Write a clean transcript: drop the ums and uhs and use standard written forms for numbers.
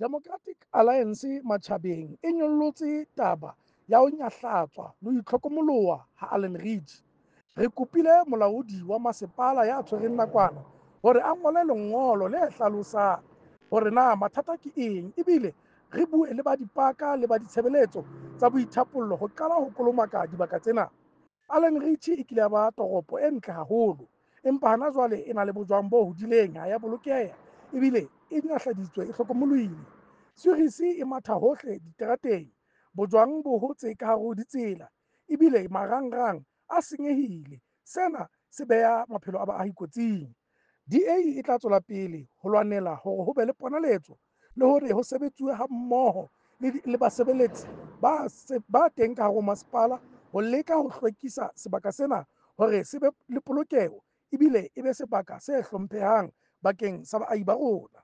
Democratic Alliance matjhabeng e nyollotse taba ya ho nyahlatswa le ho itlhokomoloha ha Allan Ridge. Re kopile molaodi wa masepala ya tshwereng nakwana hore a ngole lengolo le hlalosang hore na mathata ke eng ebile re bue le ba dipaka le ba ditshebeletso tsa boithapollo ho qala ho kolomaka dibaka tsena. Allan Ridge e kile ya ba toropo e ntle haholo, empa hana jwale e na le bojwang bo hodileng, ha ya bolokeha ebile e nyahladitswe, e hlokomolohile. Sewurisi e matha hohle diterateng, bojwang bo hotse ka hare ho ditsela ebile marangrang a senyehile. Sena se beha maphelo a baahi kotsing. DA e tla tswela pele ho lwanela hore ho be le ponaletso le hore ho sebetsuwe ha mmoho le basebeletsi ba teng ka hare ho masepala ho leka ho hlwekisa sebaka sena hore se be le polokeho ebile e be sebaka se hlomphehang bakeng sa baahi ba rona.